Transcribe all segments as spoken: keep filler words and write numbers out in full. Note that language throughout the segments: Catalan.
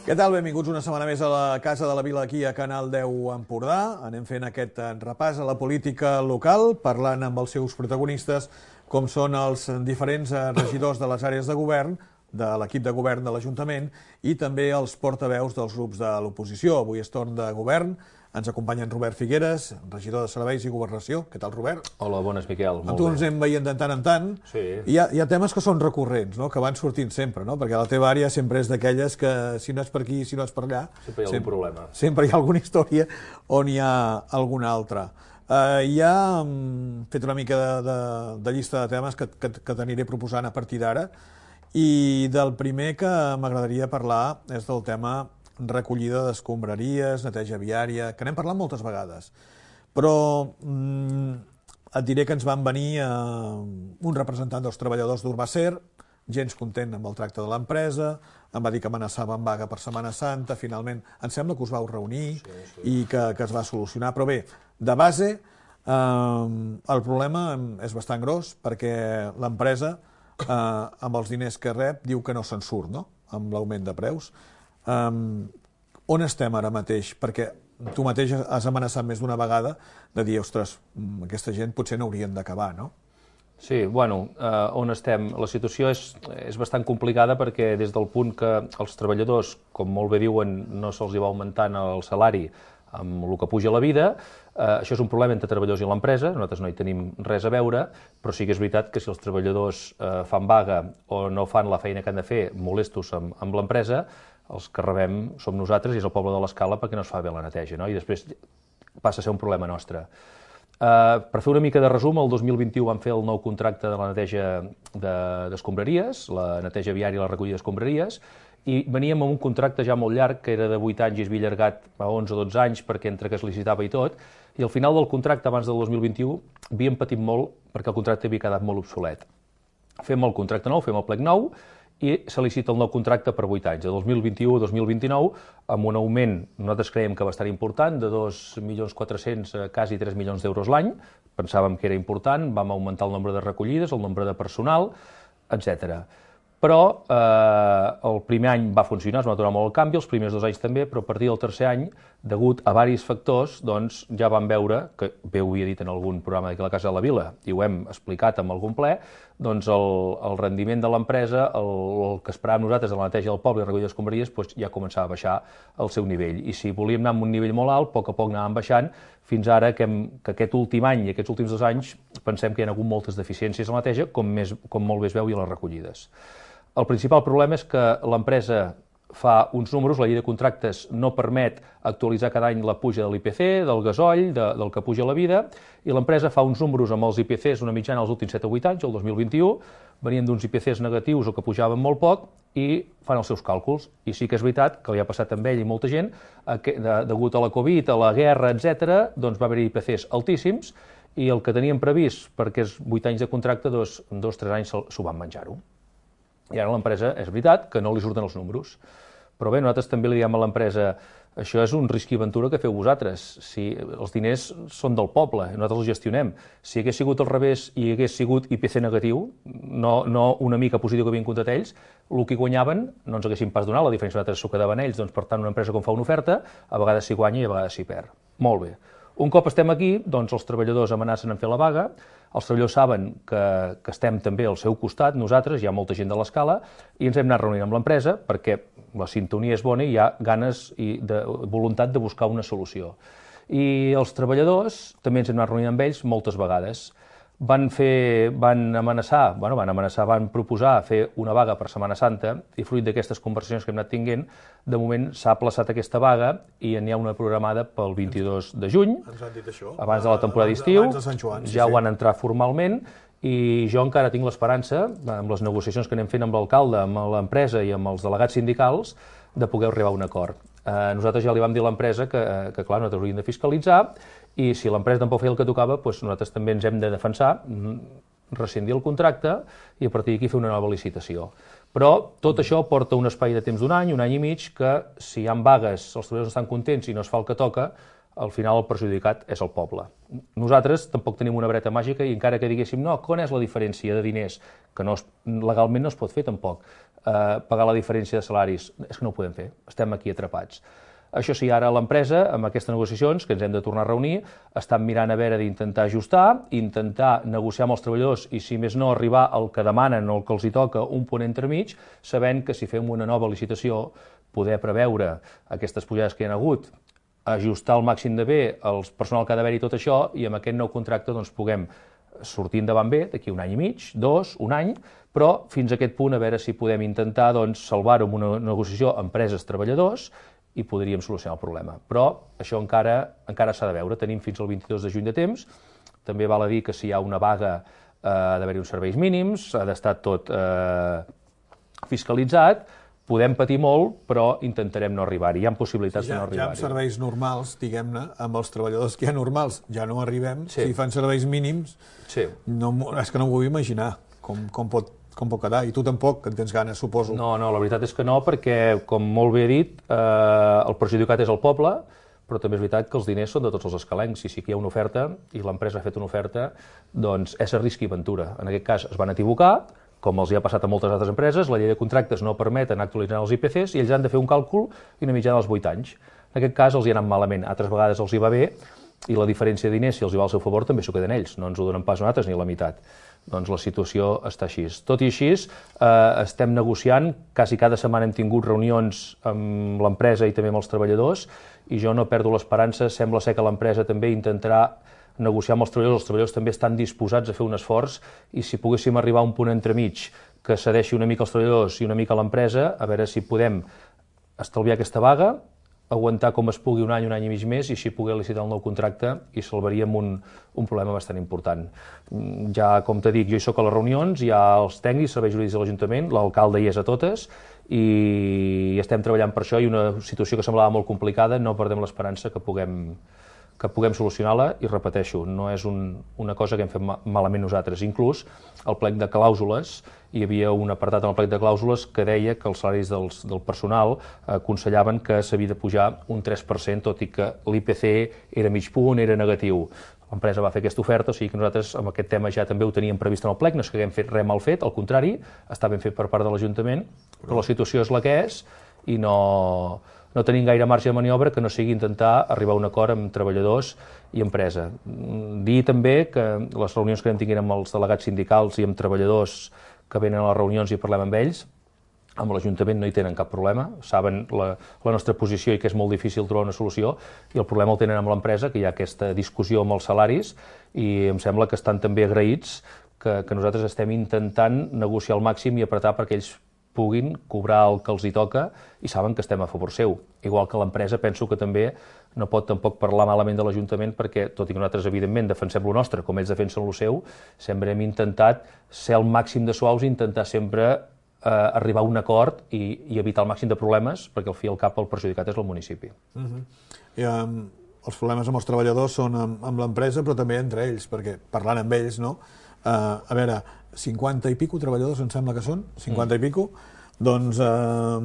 Què tal? Benvinguts una setmana més a la Casa de la Vila aquí a Canal deu Empordà. Anem fent aquest repàs a la política local, parlant amb els seus protagonistes, com són els diferents regidors de les àrees de govern, de l'equip de govern de l'Ajuntament i també els portaveus dels grups de l'oposició. Avui és torn de govern. Ens acompanya en Robert Figueres, regidor de Serveis i Governació. Què tal, Robert? Hola, bones, Miquel. Amb tu ens anem veient de tant en tant. Sí. Hi ha, hi ha temes que són recurrents, no? Que van sortint sempre, no? Perquè la teva àrea sempre és d'aquelles que, si no és per aquí, si no és per allà... Sempre hi ha algun sempre, problema. Sempre hi ha alguna història on hi ha alguna altra. Uh, ja hem fet una mica de, de, de llista de temes que, que, que t'aniré proposant a partir d'ara, i del primer que m'agradaria parlar és del tema recollida d'escombraries, neteja viària, que n'hem parlat moltes vegades. Però mm, et diré que ens van venir eh, un representant dels treballadors d'Urbacer, gens content amb el tracte de l'empresa, em va dir que amenaçaven vaga per Setmana Santa, finalment em sembla que us vau reunir sí, sí. i que, que es va solucionar. Però bé, de base, eh, el problema és bastant gros perquè l'empresa, eh, amb els diners que rep, diu que no se'n surt, no?, amb l'augment de preus. Um, on estem ara mateix? Perquè tu mateix has amenaçat més d'una vegada de dir, ostres, aquesta gent potser no haurien d'acabar, no? Sí, bueno, eh, on estem? La situació és, és bastant complicada perquè des del punt que els treballadors, com molt bé diuen, no se'ls hi va augmentant el salari amb el que puja la vida, eh, això és un problema entre treballadors i l'empresa, nosaltres no hi tenim res a veure, però sí que és veritat que si els treballadors eh, fan vaga o no fan la feina que han de fer molestos amb, amb l'empresa, els que rebem som nosaltres i és el poble de l'Escala perquè no es fa bé la neteja, no? I després passa a ser un problema nostre. Uh, per fer una mica de resum, el dos mil vint-i-u vam fer el nou contracte de la neteja d'escombraries, de, la neteja viària i la recollida d'escombraries, i veníem amb un contracte ja molt llarg, que era de vuit anys i es havia allargat a onze o dotze anys perquè entre que es licitava i tot, i al final del contracte, abans del dos mil vint-i-u, havíem patit molt perquè el contracte havia quedat molt obsolet. Fem el contracte nou, fem el plec nou, i se licita el nou contracte per vuit anys, de dos mil vint-i-u a dos mil vint-i-nou, amb un augment, nosaltres creiem que bastant important, de dos milions quatre-cents a quasi tres milions d'euros l'any, pensàvem que era important, vam augmentar el nombre de recollides, el nombre de personal, etcètera. Però eh, el primer any va funcionar, es va donar molt el canvi, els primers dos anys també, però a partir del tercer any, degut a diversos factors, doncs ja vam veure, que bé ho havia dit en algun programa d'aquí a la Casa de la Vila, i ho hem explicat amb algun ple, doncs el, el rendiment de l'empresa, el, el que esperàvem nosaltres de la neteja del poble i la recollida d'escombraries, doncs ja començava a baixar el seu nivell. I si volíem anar amb un nivell molt alt, a poc a poc anàvem baixant, fins ara que, hem, que aquest últim any i aquests últims dos anys pensem que hi ha hagut moltes deficiències a la neteja, com, més, com molt bé es veu i a les recollides. El principal problema és que l'empresa fa uns números, la llei de contractes no permet actualitzar cada any la puja de l'I P C, del gasoll, de, del que puja la vida, i l'empresa fa uns números amb els I P Cs una mitjana els últims set o vuit anys, el dos mil vint-i-u, venien d'uns I P Cs negatius o que pujaven molt poc i fan els seus càlculs. I sí que és veritat que li ha passat amb ell i molta gent, que, de, degut a la Covid, a la guerra, etcètera, doncs va haver-hi I P Cs altíssims i el que teníem previst, perquè és vuit anys de contracte, dos, dos tres anys s'ho van menjar-ho. I ara l'empresa, és veritat, que no li surten els números. Però bé, nosaltres també li diem a l'empresa, això és un risc i aventura que feu vosaltres. Si els diners són del poble, nosaltres els gestionem. Si hagués sigut al revés i hagués sigut I P C negatiu, no, no una mica positiu que havien comptat ells, el que guanyaven no ens haguessin pas donat, la diferència nosaltres s'ho quedaven ells, doncs per tant una empresa com fa una oferta, a vegades s'hi guanya i a vegades s'hi perd. Molt bé. Un cop estem aquí, doncs els treballadors amenacen en fer la vaga, els treballadors saben que, que estem també al seu costat, nosaltres, hi ha molta gent de l'Escala, i ens hem anat reunint amb l'empresa perquè la sintonia és bona i hi ha ganes i de, voluntat de buscar una solució. I els treballadors també ens hem anat reunint amb ells moltes vegades. Van fer, van amenaçar, bueno, van amenaçar, van proposar fer una vaga per Setmana Santa i fruit d'aquestes conversacions que hem anat tinguent, de moment s'ha aplaçat aquesta vaga i n'hi ha una programada pel vint-i-dos de juny, ens han dit això, abans de la temporada d'estiu, ja sí, ho han entrat formalment i jo encara tinc l'esperança, amb les negociacions que anem fent amb l'alcalde, amb l'empresa i amb els delegats sindicals, de poder arribar a un acord. Eh, nosaltres ja li vam dir a l'empresa que, que clar, nosaltres hauríem de fiscalitzar i si l'empresa tampoc feia el que tocava, doncs nosaltres també ens hem de defensar, rescindir el contracte i a partir d'aquí fer una nova licitació. Però tot això porta un espai de temps d'un any, un any i mig, que si hi ha vagues, els treballadors estan contents i no es fa el que toca, al final el perjudicat és el poble. Nosaltres tampoc tenim una vareta màgica i encara que diguéssim, no, quan és la diferència de diners, que no es, legalment no es pot fer tampoc, eh, pagar la diferència de salaris, és que no ho podem fer, estem aquí atrapats. Això sí, ara l'empresa, amb aquestes negociacions, que ens hem de tornar a reunir, estan mirant a veure d'intentar ajustar, intentar negociar amb els treballadors i, si més no, arribar al que demanen o el que els hi toca un punt entremig, sabent que si fem una nova licitació, poder preveure aquestes pujades que hi ha hagut, ajustar al màxim de bé el personal que ha d'haver-hi tot això i amb aquest nou contracte doncs, puguem sortir endavant bé d'aquí un any i mig, dos, un any, però fins a aquest punt a veure si podem intentar doncs, salvar-ho amb una negociació empreses-treballadors i podríem solucionar el problema. Però això encara encara s'ha de veure. Tenim fins al vint-i-dos de juny de temps. També val a dir que si hi ha una vaga eh, ha d'haver-hi uns serveis mínims, ha d'estar tot eh, fiscalitzat. Podem patir molt, però intentarem no arribar-hi. Hi ha possibilitats sí, ja, de no arribar-hi. Ja amb serveis normals, diguem-ne, amb els treballadors que hi ha normals, ja no arribem. Sí. Si fan serveis mínims, sí. no, és que no m'ho vull imaginar com, com, pot, com pot quedar. I tu tampoc, que en tens ganes, suposo. No, no, la veritat és que no, perquè, com molt bé he dit, eh, el perjudicat és el poble, però també és veritat que els diners són de tots els escalencs. I sí que hi ha una oferta, i l'empresa ha fet una oferta, doncs és a risc i aventura. En aquest cas es van equivocar, com els hi ha passat a moltes altres empreses, la llei de contractes no permet anar actualitzant els I P Cs i ells han de fer un càlcul i una mitjana dels vuit anys. En aquest cas els hi ha anat malament, altres vegades els hi va bé i la diferència de diners, si els hi va al seu favor, també s'ho queden ells, no ens ho donen pas nosaltres ni la meitat. Doncs la situació està així. Tot i així, eh, estem negociant, quasi cada setmana hem tingut reunions amb l'empresa i també amb els treballadors i jo no perdo l'esperança, sembla ser que l'empresa també intentarà negociar amb els treballadors, els treballadors també estan disposats a fer un esforç i si poguéssim arribar a un punt entremig que cedeixi una mica als treballadors i una mica a l'empresa, a veure si podem estalviar aquesta vaga, aguantar com es pugui un any, un any i mig més i així poder licitar el nou contracte i salvaríem un, un problema bastant important. Ja, com t'he dit, jo hi soc a les reunions, hi ha els tècnics, serveis jurídics de l'Ajuntament, l'alcalde hi és a totes i estem treballant per això i una situació que semblava molt complicada, no perdem l'esperança que puguem que puguem solucionar-la i repeteixo, no és un, una cosa que hem fet malament nosaltres. Inclús el plec de clàusules, hi havia un apartat en el plec de clàusules que deia que els salaris dels, del personal aconsellaven que s'havia de pujar un tres per cent, tot i que l'I P C era mig punt, era negatiu. L'empresa va fer aquesta oferta, o sigui que nosaltres amb aquest tema ja també ho teníem previst en el plec, no és que haguem fet res mal fet, al contrari, està ben fet per part de l'Ajuntament, però la situació és la que és i no... no tenim gaire marge de maniobra que no sigui intentar arribar a un acord amb treballadors i empresa. Dir també que les reunions que anem tinguent amb els delegats sindicals i amb treballadors que venen a les reunions i parlem amb ells, amb l'Ajuntament no hi tenen cap problema, saben la, la nostra posició i que és molt difícil trobar una solució, i el problema el tenen amb l'empresa, que hi ha aquesta discussió amb els salaris, i em sembla que estan també agraïts que, que nosaltres estem intentant negociar al màxim i apretar perquè ells puguin cobrar el que els hi toca i saben que estem a favor seu. Igual que l'empresa, penso que també no pot tampoc parlar malament de l'Ajuntament perquè, tot i que nosaltres, evidentment, defensem lo nostre, com ells defensen lo seu, sempre hem intentat ser el màxim de suaus i intentar sempre eh, arribar a un acord i, i evitar el màxim de problemes, perquè al fi i al cap el perjudicat és el municipi. Uh-huh. I, um, els problemes amb els treballadors són amb, amb l'empresa, però també entre ells, perquè parlant amb ells, no? Uh, a veure, cinquanta i pico treballadors, em sembla que són, cinquanta mm. i pico, doncs eh,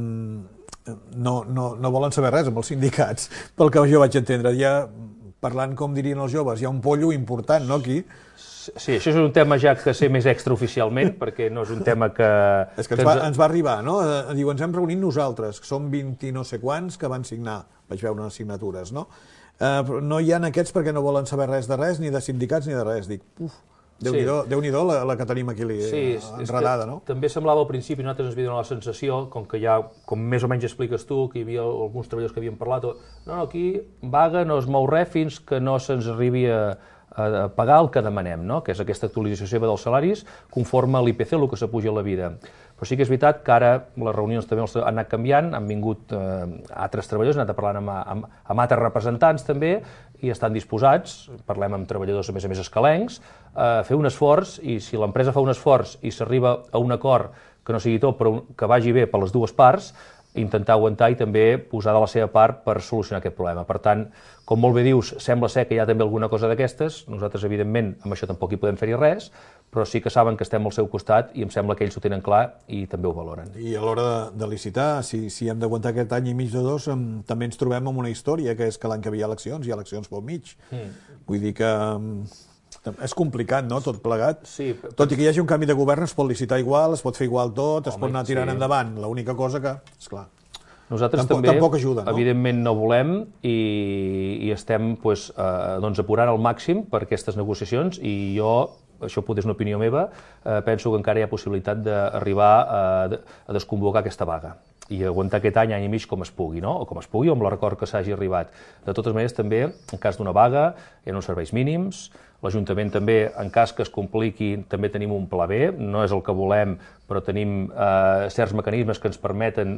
no, no, no volen saber res amb els sindicats, pel que jo vaig entendre. Ja, parlant com dirien els joves, hi ha un pollo important, no, aquí? Sí, això és un tema ja que sé més extraoficialment, perquè no és un tema que... És que ens va, ens va arribar, no? Diu, ens hem reunit nosaltres, que som vint i no sé quants que van signar, vaig veure unes signatures, no? Eh, no hi ha aquests perquè no volen saber res de res, ni de sindicats ni de res. Dic, uf, Déu-n'hi-do, sí. Déu-n'hi-do la, la que tenim aquí sí, enredada, no? També semblava al principi, nosaltres ens havia donat la sensació, com que ja, com més o menys expliques tu, que hi havia alguns treballadors que havien parlat, no, no, aquí vaga no es mou res fins que no se'ns arribi a, a pagar el que demanem, no? Que és aquesta actualització seva dels salaris conforme a l'I P C, el que s'apuja a la vida. Però sí que és veritat que ara les reunions també han anat canviant, han vingut eh, altres treballadors, han anat parlant amb, amb, amb altres representants també, i estan disposats, parlem amb treballadors a més a més escalencs, a fer un esforç, i si l'empresa fa un esforç i s'arriba a un acord que no sigui tot, però que vagi bé per les dues parts, intentar aguantar i també posar de la seva part per solucionar aquest problema. Per tant, com molt bé dius, sembla ser que hi ha també alguna cosa d'aquestes, nosaltres evidentment amb això tampoc hi podem fer-hi res, però sí que saben que estem al seu costat i em sembla que ells ho tenen clar i també ho valoren. I a l'hora de, de licitar, si, si hem d'aguantar aquest any i mig o dos, em, també ens trobem amb una història, que és que l'any que ve hi ha eleccions, hi ha eleccions pel mig. Mm. Vull dir que em, és complicat, no?, tot plegat. Sí, tot i que hi hagi un canvi de govern, es pot licitar igual, es pot fer igual tot, es home, pot anar tirant sí. endavant. L'única cosa que, esclar, nosaltres tampoc, també, tampoc ajuda, no? Evidentment, no volem i, i estem pues, eh, doncs, apurant al màxim per aquestes negociacions i jo, això potser és una opinió meva, eh, penso que encara hi ha possibilitat d'arribar a, a desconvocar aquesta vaga i aguantar aquest any, any i mig com es pugui, no? O com es pugui, o amb l'acord que s'hagi arribat. De totes maneres, també, en cas d'una vaga, hi ha uns serveis mínims, l'Ajuntament també, en cas que es compliqui, també tenim un pla B, no és el que volem, però tenim eh, certs mecanismes que ens permeten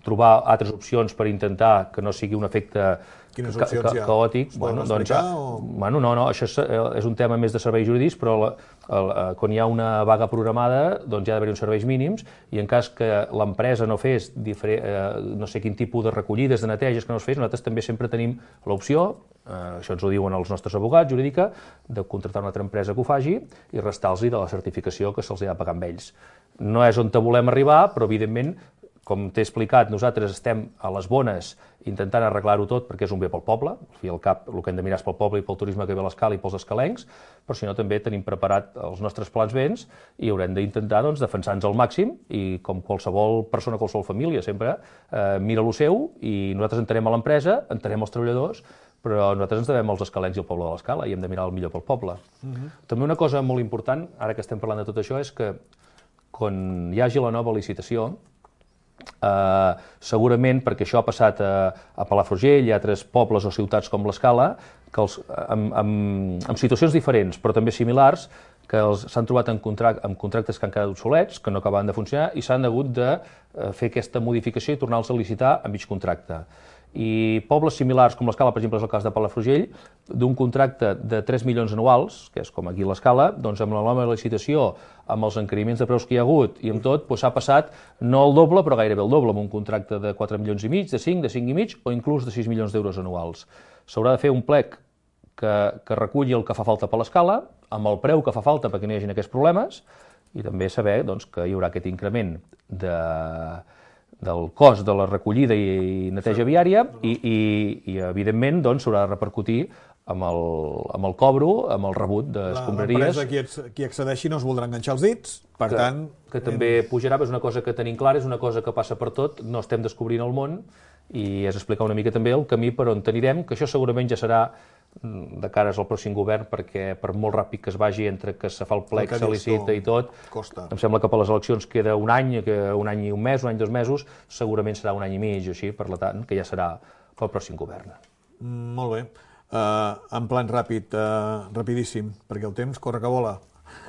trobar altres opcions per intentar que no sigui un efecte Quines ca opcions ca hi ha? caòtic. Es poden Bueno, doncs, explicar? O... bueno, no, no, això és, és un tema més de serveis jurídics, però la, el, quan hi ha una vaga programada, doncs hi ha d'haver uns serveis mínims i en cas que l'empresa no fes diferent, eh, no sé quin tipus de recollides, de neteges que no es fes, nosaltres també sempre tenim l'opció, eh, això ens ho diuen els nostres abogats jurídica, de contractar una altra empresa que ho faci i restar-los de la certificació que se'ls ha de pagar amb ells. No és on volem arribar, però evidentment, com t'he explicat, nosaltres estem a les bones intentant arreglar-ho tot perquè és un bé pel poble, i al cap el que hem de mirar és pel poble i pel turisme que ve a l'escala i pels escalencs, però si no també tenim preparat els nostres plans béns i haurem d'intentar doncs, defensar-nos al màxim i com qualsevol persona, qualsevol família, sempre eh, mira lo seu i nosaltres entenem a l'empresa, entenem els treballadors, però nosaltres ens devem als escalencs i al poble de l'Escala i hem de mirar el millor pel poble. Uh-huh. També una cosa molt important, ara que estem parlant de tot això, és que quan hi hagi la nova licitació, Uh, segurament, perquè això ha passat a, a Palafrugell i a altres pobles o ciutats com l'Escala, que els, amb, amb, amb situacions diferents, però també similars, que s'han trobat en, contract, en contractes que han quedat obsolets, que no acabaven de funcionar, i s'han hagut de uh, fer aquesta modificació i tornar-los a licitar a mig contracte. I pobles similars, com l'Escala, per exemple, és el cas de Palafrugell, d'un contracte de tres milions anuals, que és com aquí l'Escala, doncs amb la nova licitació, amb els encariments de preus que hi ha hagut i amb tot, s'ha passat no el doble, però gairebé el doble, amb un contracte de quatre milions i mig, de cinc, de cinc i mig, o inclús de sis milions d'euros anuals. S'haurà de fer un plec que, que reculli el que fa falta per l'Escala, amb el preu que fa falta perquè no hi hagi aquests problemes, i també saber doncs, que hi haurà aquest increment de... del cost de la recollida i neteja viària i, i, i evidentment, doncs, s'haurà de repercutir amb el, amb el cobro, amb el rebut d'escombraries. L'empresa qui, qui accedeixi no es voldrà enganxar els dits, per que, tant... Que també pujarà, és una cosa que tenim clara, és una cosa que passa per tot, no estem descobrint el món, i és explicar una mica també el camí per on anirem, que això segurament ja serà de cares al pròxim govern, perquè per molt ràpid que es vagi entre que se fa el plec, se licita i tot, costa. Em sembla que per les eleccions queda un any, que un any i un mes, un any i dos mesos, segurament serà un any i mig o així, per tant, que ja serà pel pròxim govern. Mm, molt bé. Uh, en plan ràpid, uh, rapidíssim, perquè el temps corre que vola.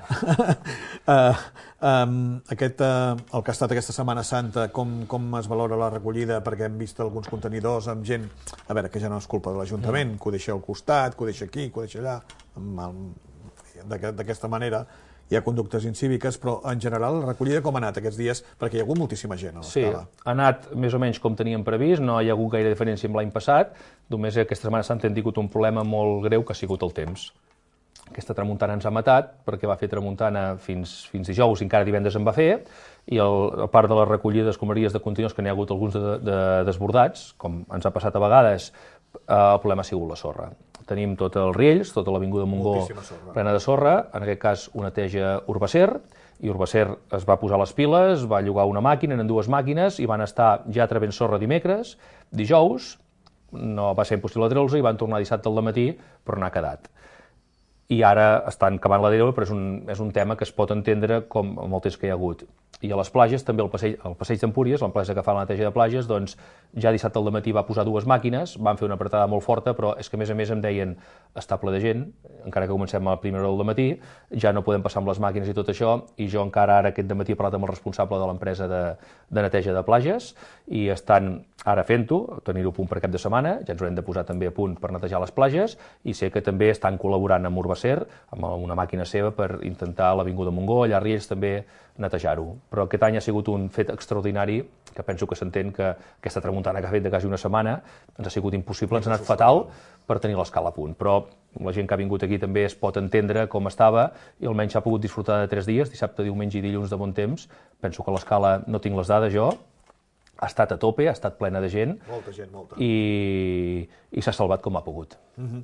uh, um, aquest, uh, el que ha estat aquesta Setmana Santa, com, com es valora la recollida, perquè hem vist alguns contenidors amb gent, a veure, que ja no és culpa de l'Ajuntament, que ho deixa al costat, que ho deixa aquí, que ho deixa allà, d'aquesta manera hi ha conductes incíviques, però en general la recollida com ha anat aquests dies, perquè hi ha hagut moltíssima gent a l'Escala. Sí, ha anat més o menys com teníem previst, no hi ha hagut gaire diferència amb l'any passat, només aquesta Setmana Santa hem tingut un problema molt greu que ha sigut el temps. Aquesta tramuntana ens ha matat, perquè va fer tramuntana fins, fins dijous i encara divendres en va fer, i el, a part de la recollida d'escombraries de contenidors, que n'hi ha hagut alguns de, de, desbordats, com ens ha passat a vegades, eh, el problema ha sigut la sorra. Tenim tots els riells, tota l'avinguda Montgó plena de sorra, en aquest cas una neteja Urbacer, i Urbacer es va posar les piles, va llogar una màquina, en dues màquines, i van estar ja traient sorra dimecres, dijous, no va ser impossible treure-los, i van tornar dissabte al matí, però n'ha quedat. I ara estan cavant la deriva, però és un, és un tema que es pot entendre com amb el temps que hi ha hagut. I a les platges, també el passeig, el passeig d'Empúries, l'empresa que fa la neteja de platges, doncs ja dissabte al matí va posar dues màquines, van fer una apretada molt forta, però és que a més a més em deien està ple de gent, encara que comencem a la primera hora del matí, ja no podem passar amb les màquines i tot això, i jo encara ara aquest dematí he parlat amb el responsable de l'empresa de, de neteja de platges, i estan ara fent-ho, tenir-ho a punt per cap de setmana, ja ens haurem de posar també a punt per netejar les platges, i sé que també estan col·laborant amb Urbacer l'acer, amb una màquina seva per intentar l'Avinguda Montgó, allà a Riells també netejar-ho. Però aquest any ha sigut un fet extraordinari, que penso que s'entén que aquesta tramuntana que ha fet de quasi una setmana ens ha sigut impossible, ens ha anat fatal per tenir l'escala a punt. Però la gent que ha vingut aquí també es pot entendre com estava i almenys s'ha pogut disfrutar de tres dies, dissabte, diumenge i dilluns de bon temps. Penso que l'escala, no tinc les dades jo, ha estat a tope, ha estat plena de gent. Molta gent, molta. I, i s'ha salvat com ha pogut. Uh-huh.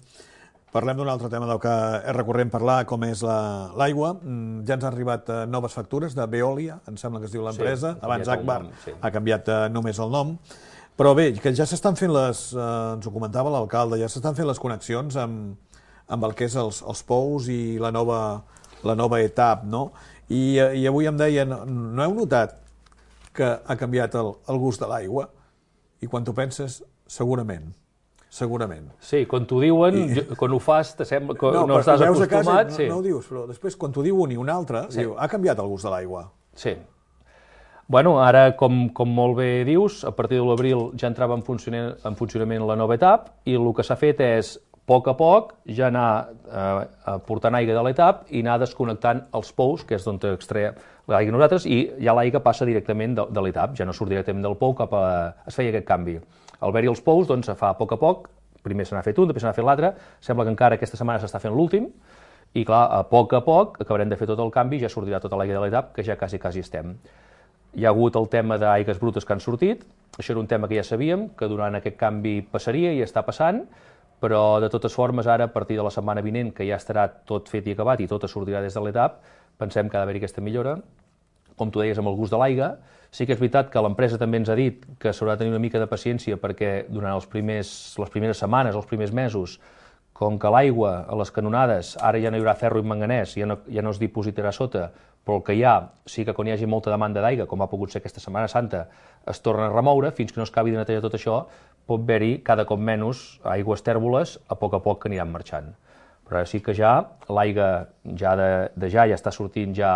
Parlem d'un altre tema del que és recurrent parlar, com és l'aigua. La, ja ens han arribat uh, noves factures de Veolia, em sembla que es diu l'empresa. Sí, abans Agbar sí. ha canviat uh, només el nom. Però bé, que ja s'estan fent les, uh, ens ho comentava l'alcalde, ja s'estan fent les connexions amb, amb el que és els, els pous i la nova, la nova etapa, no? I, I avui em deien, no heu notat que ha canviat el, el gust de l'aigua? I quan t'ho penses, segurament. Segurament. Sí, quan t'ho diuen, I... quan ho fas, te sembla que no, no estàs acostumat. Casa, sí. No, no ho dius, però després, quan t'ho diu un i un altre, sí. diu, ha canviat el gust de l'aigua. Sí. Bueno, ara, com, com molt bé dius, a partir de l'abril ja entrava en funcionament, en funcionament la nova etapa i el que s'ha fet és, a poc a poc, ja anar eh, portant aigua de l'etapa i anar desconnectant els pous, que és d'on extreia l'aigua nosaltres, i ja l'aigua passa directament de, de l'etapa, ja no surt directament del pou cap a... es feia aquest canvi. Al haver-hi els pous, doncs, fa a poc a poc, primer se n'ha fet un, després se n'ha fet l'altre, sembla que encara aquesta setmana s'està fent l'últim, i clar, a poc a poc acabarem de fer tot el canvi i ja sortirà tota l'aigua de l'etapa, que ja quasi, quasi estem. Hi ha hagut el tema d'aigües brutes que han sortit, això era un tema que ja sabíem, que durant aquest canvi passaria i està passant, però de totes formes ara, a partir de la setmana vinent, que ja estarà tot fet i acabat i tot sortirà des de l'etapa, pensem que ha d'haver-hi aquesta millora. Com tu deies, amb el gust de l'aigua, sí que és veritat que l'empresa també ens ha dit que s'haurà de tenir una mica de paciència perquè durant els primers, les primeres setmanes, els primers mesos, com que l'aigua a les canonades ara ja no hi haurà ferro i manganès, ja no, ja no es dipositarà sota, però el que hi ha, sí que quan hi hagi molta demanda d'aigua, com ha pogut ser aquesta Setmana Santa, es torna a remoure, fins que no es acabi de netejar tot això, pot haver-hi cada cop menys aigües tèrboles a poc a poc que aniran marxant. Però ara sí que ja l'aigua ja de, de ja ja està sortint ja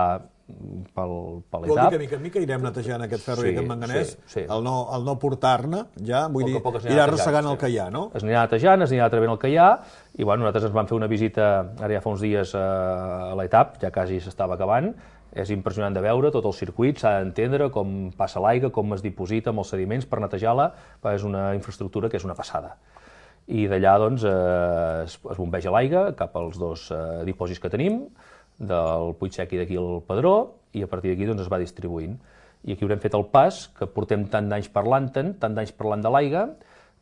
pel, per l'etapa. Vol dir que mica en mica irem netejant aquest ferro sí, i aquest manganès, sí, sí. el no, el no portar-ne, ja, vull dir, irà arrossegant sí. el que hi ha, no? Es anirà netejant, es anirà atrevent el que hi ha, i bueno, nosaltres ens vam fer una visita, ara ja fa uns dies, a l'etapa, ja quasi s'estava acabant, és impressionant de veure tot el circuit, s'ha d'entendre com passa l'aigua, com es diposita amb els sediments per netejar-la, és una infraestructura que és una passada. I d'allà, doncs, eh, es, es bombeja l'aigua cap als dos eh, dipòsits que tenim, del Puig Sec i d'aquí al Pedró, i a partir d'aquí doncs, es va distribuint. I aquí haurem fet el pas que portem tant d'anys parlant-en, tant d'anys parlant de l'aigua,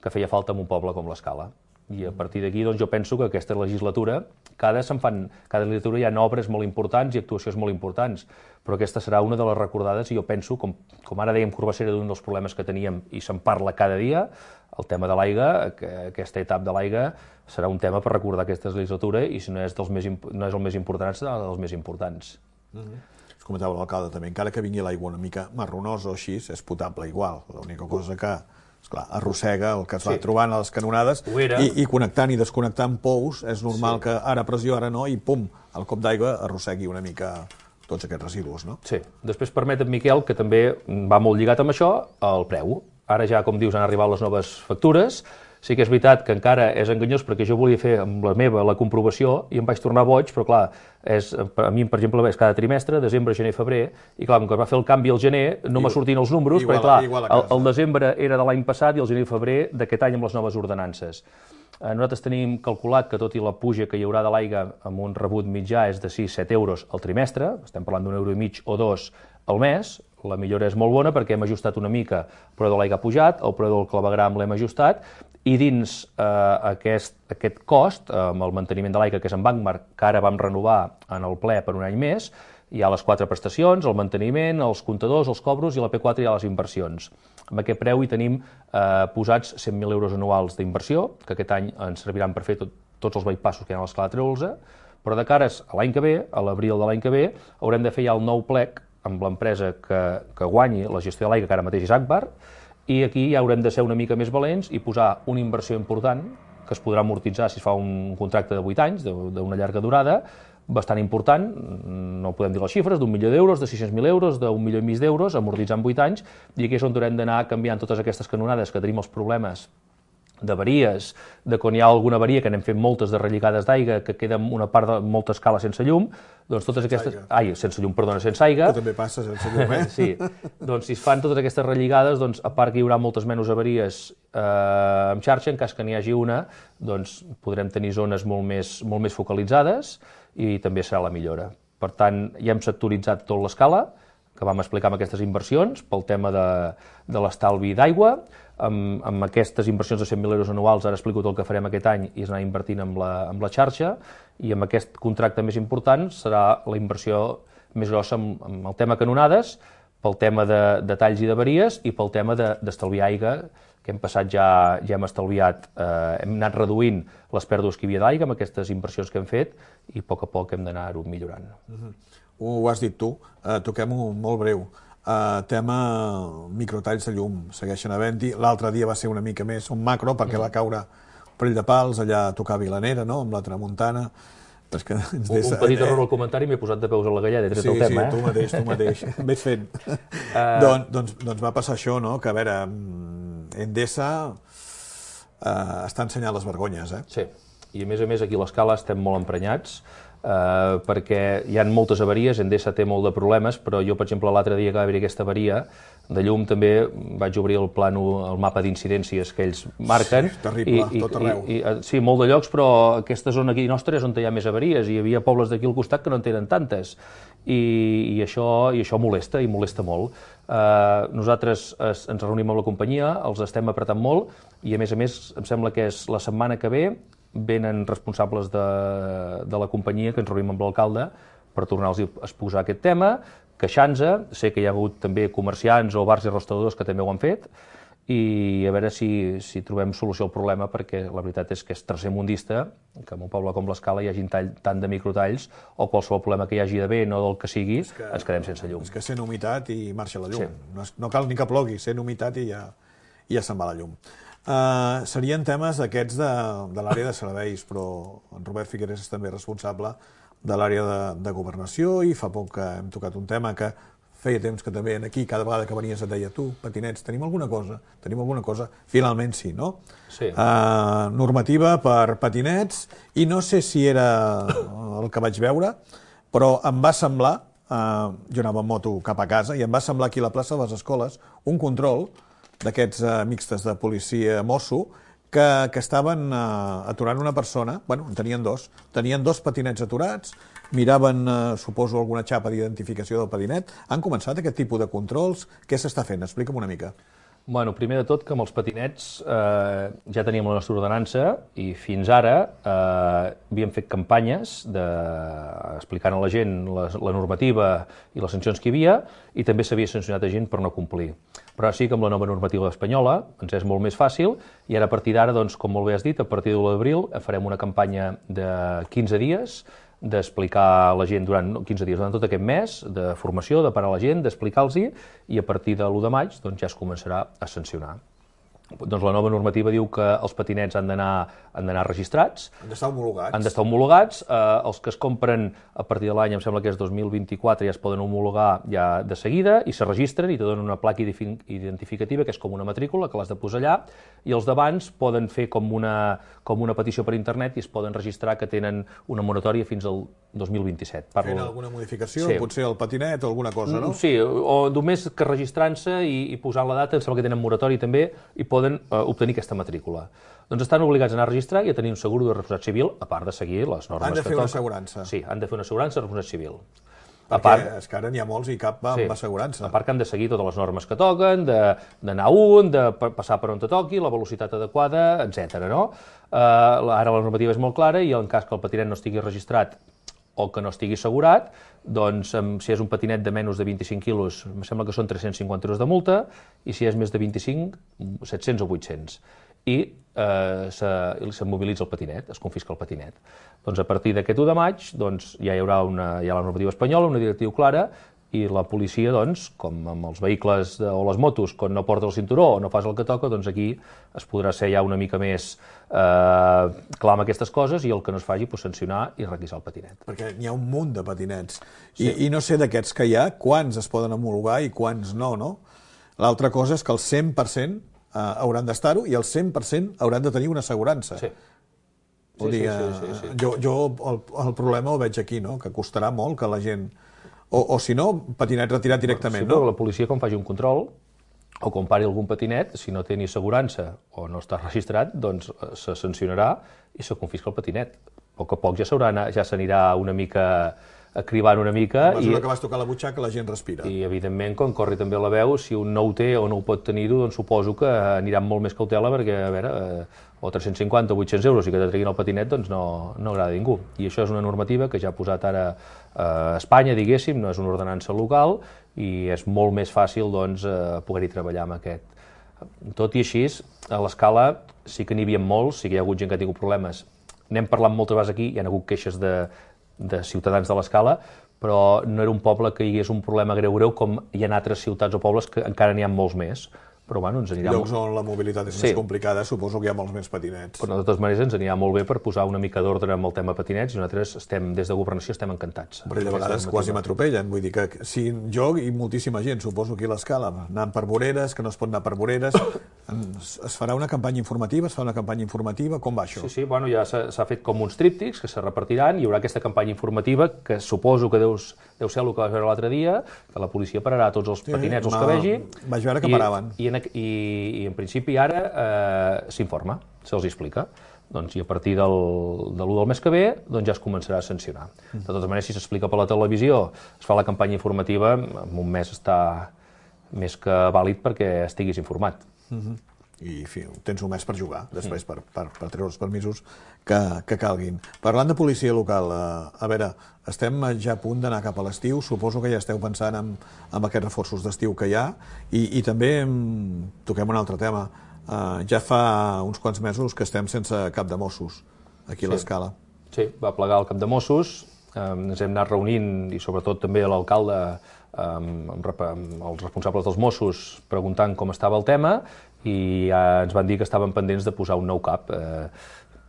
que feia falta en un poble com l'Escala. I a partir d'aquí doncs, jo penso que aquesta legislatura, cada, se'n fan, cada legislatura hi ha obres molt importants i actuacions molt importants, però aquesta serà una de les recordades i jo penso, com, com ara dèiem Corbassera d'un dels problemes que teníem i se'n parla cada dia, el tema de l'aigua, que aquesta etapa de l'aigua serà un tema per recordar aquesta legislatura i si no és, dels més, no és el més important, serà dels més importants. Mm-hmm. Es comentava l'alcalde també, encara que vingui l'aigua una mica marronosa o així, és potable igual. L'única cosa que, esclar, arrossega el que es va sí. trobant a les canonades i, i connectant i desconnectant pous, és normal sí. que ara pressió, ara no, i pum, el cop d'aigua arrossegui una mica tots aquests residus, no? Sí. Després permetem, Miquel, que també va molt lligat amb això, el preu. Ara ja, com dius, han arribat les noves factures. Sí que és veritat que encara és enganyós perquè jo volia fer amb la meva la comprovació i em vaig tornar boig, però clar, és, a mi, per exemple, és cada trimestre, desembre, gener, febrer, i clar, com que es va fer el canvi al gener, no m'ha sortint els números, igual, perquè clar, el, el desembre era de l'any passat i el gener i febrer d'aquest any amb les noves ordenances. Nosaltres tenim calculat que tot i la puja que hi haurà de l'aigua amb un rebut mitjà és de sis a set euros al trimestre, estem parlant d'un euro i mig o dos al mes, la millora és molt bona perquè hem ajustat una mica el preu de l'aigua ha pujat, el preu del clavegram l'hem ajustat, i dins eh, aquest, aquest cost, eh, amb el manteniment de l'aigua que és en Bancmark, que ara vam renovar en el ple per un any més, hi ha les quatre prestacions, el manteniment, els comptadors, els cobros i la P quatre hi ha les inversions. Amb aquest preu hi tenim eh, posats cent mil euros anuals d'inversió, que aquest any ens serviran per fer tot, tots els bypassos que hi ha a l'Escala Tregolsa, però de cares a l'any que ve, a l'abril de l'any que ve, haurem de fer ja el nou plec amb l'empresa que, que guanyi la gestió de l'aigua, que ara mateix és Agbar, i aquí ja haurem de ser una mica més valents i posar una inversió important, que es podrà amortitzar si es fa un contracte de vuit anys, d'una llarga durada, bastant important, no podem dir les xifres, d'un milió d'euros, de sis-cents mil euros, d'un milió i mig d'euros, amortitzant vuit anys, i aquí és on haurem d'anar canviant totes aquestes canonades que tenim els problemes d'avaries, de quan hi ha alguna avaria, que n'hem fet moltes de relligades d'aigua, que queda una part de molta escala sense llum, doncs totes aquestes... Ai, sense llum, perdona, sense aigua. Que també passa sense llum, eh? Sí, doncs si es fan totes aquestes relligades, doncs a part que hi haurà moltes menys avaries eh, en xarxa, en cas que n'hi hagi una, doncs podrem tenir zones molt més, molt més focalitzades i també serà la millora. Per tant, ja hem sectoritzat tot l'escala, que vam explicar amb aquestes inversions, pel tema de, de l'estalvi d'aigua. Amb, amb aquestes inversions de cent mil euros anuals, ara explico tot el que farem aquest any, i és anar invertint amb la, amb la xarxa, i amb aquest contracte més important serà la inversió més grossa amb, amb el tema canonades, pel tema de, de talls i d'avaries, i pel tema d'estalviar aigua, que hem passat ja, ja hem estalviat, eh, hem anat reduint les pèrdues que hi havia d'aigua amb aquestes inversions que hem fet, i a poc a poc hem d'anar-ho millorant. Mm-hmm. Ho has dit tu, uh, toquem-ho molt breu. Uh, tema microtalls de llum, segueixen havent-hi. L'altre dia va ser una mica més un macro, perquè mm. va caure un parell de pals allà a tocar Vilanera, no?, amb la tramuntana. Però és que ens des... Un petit error al comentari, m'he posat de peus a la galleda, he tret sí, el tema, sí, eh? Sí, tu mateix, tu mateix. Ves fent. Uh... Don, doncs, doncs va passar això, no?, que a veure, Endesa uh, està ensenyant les vergonyes, eh? Sí, i a més a més aquí a l'escala estem molt emprenyats, Uh, perquè hi ha moltes avaries, Endesa té molt de problemes, però jo, per exemple, l'altre dia que va haver aquesta avaria de llum també vaig obrir el plano, el mapa d'incidències que ells marquen. Sí, terrible, i, tot arreu. I, i, sí, molt de llocs, però aquesta zona aquí nostra és on hi ha més avaries, i hi havia pobles d'aquí al costat que no en tenen tantes, i, i, això, i això molesta, i molesta molt. Uh, nosaltres es, ens reunim amb la companyia, els estem apretant molt, i a més a més em sembla que és la setmana que ve venen responsables de, de la companyia que ens reunim amb l'alcalde per tornar-los a exposar aquest tema, queixant-se, sé que hi ha hagut també comerciants o bars i restauradors que també ho han fet, i a veure si, si trobem solució al problema, perquè la veritat és que és tercermundista que en un poble com l'Escala hi hagi tall, tant de microtalls, o qualsevol problema que hi hagi de vent o del que sigui, que, ens quedem sense llum. És que sent humitat i marxa la llum. Sí. No, no cal ni que plogui, sent humitat i ja, ja se'n va la llum. Uh, serien temes d'aquests de, de l'àrea de serveis, però en Robert Figueres és també responsable de l'àrea de, de governació, i fa poc que hem tocat un tema que feia temps que també aquí, cada vegada que venies et deia tu, patinets, tenim alguna cosa? Tenim alguna cosa? Finalment sí, no? Sí. Uh, normativa per patinets, i no sé si era el que vaig veure, però em va semblar, uh, jo anava en moto cap a casa, i em va semblar aquí a la plaça de les Escoles un control d'aquests uh, mixtes de policia-mosso que, que estaven uh, aturant una persona, bueno, en tenien dos, tenien dos patinets aturats, miraven, uh, suposo, alguna xapa d'identificació del patinet. Han començat aquest tipus de controls? Què s'està fent? Explica'm una mica. Bueno, primer de tot, que amb els patinets eh, ja teníem la nostra ordenança, i fins ara eh, havíem fet campanyes de, explicant a la gent la, la normativa i les sancions que hi havia, i també s'havia sancionat a gent per no complir. Però sí que amb la nova normativa espanyola ens és molt més fàcil, i ara a partir d'ara, doncs, com molt bé has dit, a partir de l'u d'abril farem una campanya de quinze dies d'explicar a la gent durant quinze dies, durant tot aquest mes, de formació, de parar la gent, d'explicar-los-hi, i a partir de l'u de maig doncs, ja es començarà a sancionar. Doncs la nova normativa diu que els patinets han d'anar han d'anar registrats. Han d'estar homologats. Han d'estar homologats. Eh, els que es compren a partir de l'any, em sembla que és dos mil vint-i-quatre, ja es poden homologar ja de seguida, i se registren i te donen una placa identificativa, que és com una matrícula, que l'has de posar allà, i els d'abans poden fer com una, com una petició per internet i es poden registrar que tenen una moratòria fins al dos mil vint-i-set. Parlo... Fent alguna modificació, sí. Potser el patinet o alguna cosa, no? Sí, o només que registrant-se i, i posant la data, em sembla que tenen moratòria també, i poden eh, obtenir aquesta matrícula. Doncs estan obligats a anar a registrar i a tenir un seguro de responsabilitat civil, a part de seguir les normes que toquen. Han de fer una assegurança. Sí, han de fer una assegurança de responsabilitat civil. Perquè a part, és que ara n'hi ha molts i cap va amb sí, assegurança. A part que han de seguir totes les normes que toquen, d'anar un, de passar per on te toqui, la velocitat adequada, etcètera. No? Uh, ara la normativa és molt clara, i en cas que el patinet no estigui registrat o que no estigui assegurat, doncs si és un patinet de menys de vint-i-cinc quilos, em sembla que són tres-cents cinquanta euros de multa, i si és més de vint-i-cinc, set-cents o vuit-cents. I eh, se, se mobilitza el patinet, es confisca el patinet. Doncs a partir d'aquest u de maig doncs, ja hi haurà una, hi ha la normativa espanyola, una directiva clara, i la policia, doncs, com amb els vehicles de, o les motos, quan no porta el cinturó o no fas el que toca, doncs aquí es podrà ser ja una mica més eh, clar amb aquestes coses, i el que no es faci, pues, sancionar i requisar el patinet. Perquè n'hi ha un munt de patinets. I, sí. I no sé d'aquests que hi ha, quants es poden homologar i quants no, no? L'altra cosa és que el cent per cent hauran d'estar-ho i el cent per cent hauran de tenir una assegurança. Sí. Vull dir, jo, jo el, el problema el veig aquí, no? Que costarà molt que la gent... O, o si no, patinet retirat directament, sí, no? La policia, quan faci un control, o quan pari algun patinet, si no té ni assegurança o no està registrat, doncs se sancionarà i se confisca el patinet. A poc a poc ja s'anirà ja una mica acribant una mica. A mesura i, que vas tocar la butxaca, la gent respira. I, evidentment, quan corri també la veu, si un no ho té o no ho pot tenir-ho, doncs suposo que anirà amb molt més cautela perquè, a veure, eh, o tres-cents cinquanta o vuit-cents euros i que te treguin el patinet, doncs no, no agrada a ningú. I això és una normativa que ja ha posat ara a Espanya, diguéssim, no és una ordenança local i és molt més fàcil, doncs, eh, poder-hi treballar amb aquest. Tot i així, a l'escala sí que n'hi havia molts, sí que hi ha hagut gent que ha tingut problemes. N'hem parlat moltes vegades aquí, hi ha hagut queixes de de ciutadans de l'Escala, però no era un poble que hi hagués un problema greu-greu com hi ha altres ciutats o pobles que encara n'hi ha molts més. Però bueno, ens anirà... Llocs on la mobilitat és sí. més complicada, suposo que hi ha molts més patinets. Però de totes maneres ens anirà molt bé per posar una mica d'ordre amb el tema patinets i nosaltres estem, des de Governació estem encantats. Però de vegades quasi m'atropellen, vull dir que si jo i moltíssima gent, suposo aquí a l'Escala, anant per voreres, que no es pot anar per voreres, es farà una campanya informativa, es fa una campanya informativa, com va això? Sí, sí, bueno, ja s'ha fet com uns tríptics que se repartiran, hi haurà aquesta campanya informativa que suposo que deus, deu ser el que vas veure l'altre dia, que la policia pararà tots els patinets, sí, els que vegi. Vaig veure que paraven. I, i I, i en principi ara eh, s'informa, se'ls explica. Doncs, I a partir del, de l'u del mes que ve doncs ja es començarà a sancionar. De totes maneres, si s'explica per la televisió, es fa la campanya informativa, en un mes està més que vàlid perquè estiguis informat. Uh-huh. I fi, tens un mes per jugar, després per, per, per treure els permisos que, que calguin. Parlant de policia local, eh, a veure, estem ja a punt d'anar cap a l'estiu, suposo que ja esteu pensant en, en aquests reforços d'estiu que hi ha, i, i també em, toquem un altre tema. Uh, ja fa uns quants mesos que estem sense cap de Mossos aquí a l'Escala. Sí, va plegar el cap de Mossos, eh, ens hem anat reunint, i sobretot també l'alcalde, eh, amb, amb els responsables dels Mossos, preguntant com estava el tema, i ja ens van dir que estaven pendents de posar un nou cap. Eh,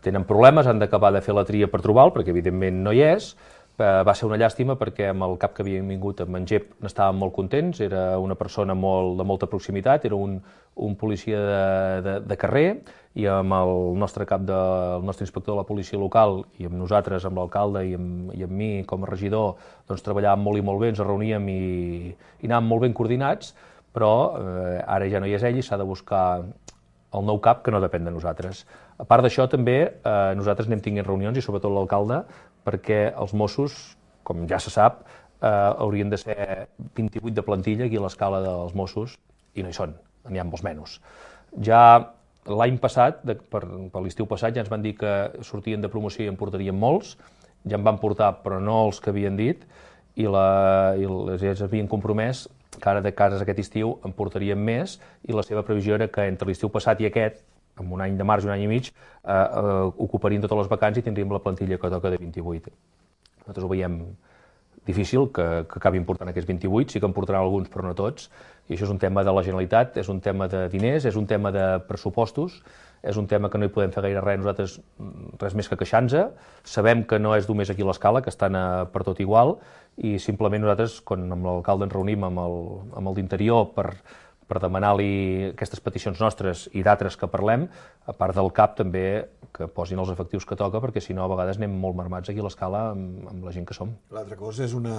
tenen problemes, han d'acabar de fer la tria per trobar-lo, perquè evidentment no hi és. Eh, va ser una llàstima perquè amb el cap que havien vingut amb en Gep n'estàvem molt contents, era una persona molt, de molta proximitat, era un, un policia de, de, de carrer, i amb el nostre cap, de, el nostre inspector de la policia local, i amb nosaltres, amb l'alcalde i, amb, i amb mi com a regidor, doncs treballàvem molt i molt bé, ens reuníem i, i anàvem molt ben coordinats, però eh, ara ja no hi és ell i s'ha de buscar el nou cap que no depèn de nosaltres. A part d'això, també, eh, nosaltres anem tinguent reunions, i sobretot l'alcalde, perquè els Mossos, com ja se sap, eh, haurien de ser vint-i-vuit de plantilla aquí a l'Escala dels Mossos, i no hi són, n'hi ha molts menys. Ja l'any passat, de, per, per l'estiu passat, ja ens van dir que sortien de promoció i en portarien molts, ja en van portar, però no els que havien dit, i, la, i les, ja havien compromès que ara de cases aquest estiu en portarien més, i la seva previsió era que entre l'estiu passat i aquest, amb un any de març i un any i mig, eh, eh, ocuparien totes les vacants i tindríem la plantilla que toca de vint-i-vuit. Nosaltres ho veiem difícil que, que acabin portant aquests vint-i-vuit, sí que en portaran alguns però no tots, i això és un tema de la Generalitat, és un tema de diners, és un tema de pressupostos, és un tema que no hi podem fer gaire res nosaltres, res més que queixar-nos. Sabem que no és només aquí a l'Escala, que estan a, per tot igual, i simplement nosaltres, quan amb l'alcalde ens reunim amb el, amb el d'Interior per, per demanar-li aquestes peticions nostres i d'altres que parlem, a part del cap també que posin els efectius que toca, perquè si no a vegades anem molt marmats aquí a l'Escala amb, amb la gent que som. L'altra cosa és una,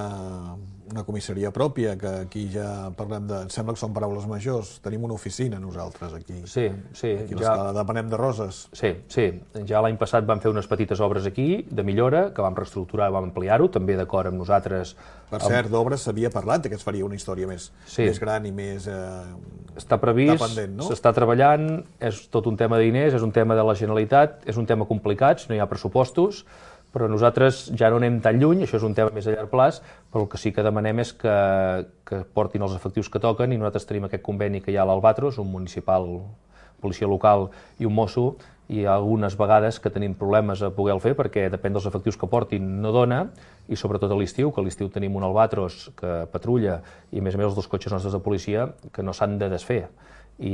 una comissaria pròpia, que aquí ja parlem de... Em sembla que són paraules majors. Tenim una oficina nosaltres aquí. Sí, sí. Aquí a l'Escala, ja... depenem de Roses. Sí, sí. Ja l'any passat vam fer unes petites obres aquí, de millora, que vam reestructurar i vam ampliar-ho, també d'acord amb nosaltres. Per cert, d'obres s'havia parlat que es faria una història més, sí. més gran i més... Eh, està previst, no? S'està treballant, és tot un tema de diners, és un tema de la Generalitat, és un tema complicat, no hi ha pressupostos, però nosaltres ja no anem tan lluny, això és un tema més a llarg plaç, però el que sí que demanem és que, que portin els efectius que toquen, i nosaltres tenim aquest conveni que hi ha a l'Albatros, un municipal, policia local i un mosso, i algunes vegades que tenim problemes a poder-ho fer perquè depèn dels efectius que portin no dona, i sobretot a l'estiu, que a l'estiu tenim un Albatros que patrulla i a més a més els dos cotxes nostres de policia que no s'han de desfer, i,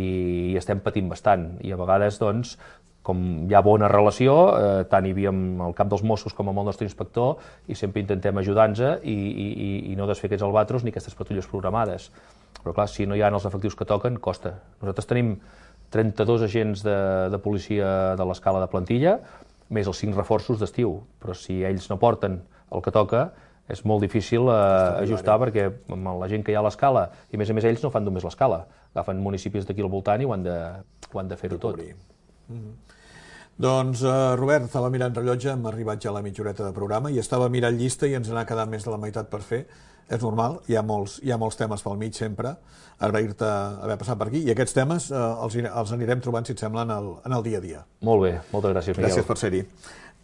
i estem patint bastant, i a vegades doncs com hi ha bona relació, eh, tant hi havia amb el cap dels Mossos com amb el nostre inspector, i sempre intentem ajudar-nos i, i, i no desfer aquests Albatros ni aquestes patrulles programades. Però clar, si no hi ha els efectius que toquen, costa. Nosaltres tenim trenta-dos agents de, de policia de l'escala de plantilla, més els cinc reforços d'estiu. Però si ells no porten el que toca, és molt difícil eh, ajustar, perquè amb la gent que hi ha a l'escala, i a més a més ells no fan només l'escala, agafen municipis d'aquí al voltant i ho han de, ho han de fer-ho tot. Mm-hmm. Doncs, uh, Robert, estava mirant rellotge, hem arribat ja a la mitja horeta de programa i estava mirant llista i ens n'ha quedat més de la meitat per fer. És normal, hi ha molts, hi ha molts temes pel mig sempre. Agrair-te haver passat per aquí i aquests temes uh, els, els anirem trobant, si et sembla, en el, en el dia a dia. Molt bé, moltes gràcies, Miguel. Gràcies per ser-hi.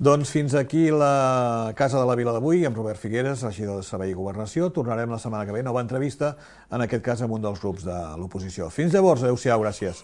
Doncs fins aquí la Casa de la Vila d'avui, amb Robert Figueres, regidor de Servei i Governació. Tornarem la setmana que ve, nova entrevista, en aquest cas amb un dels grups de l'oposició. Fins llavors, adeu-siau, gràcies.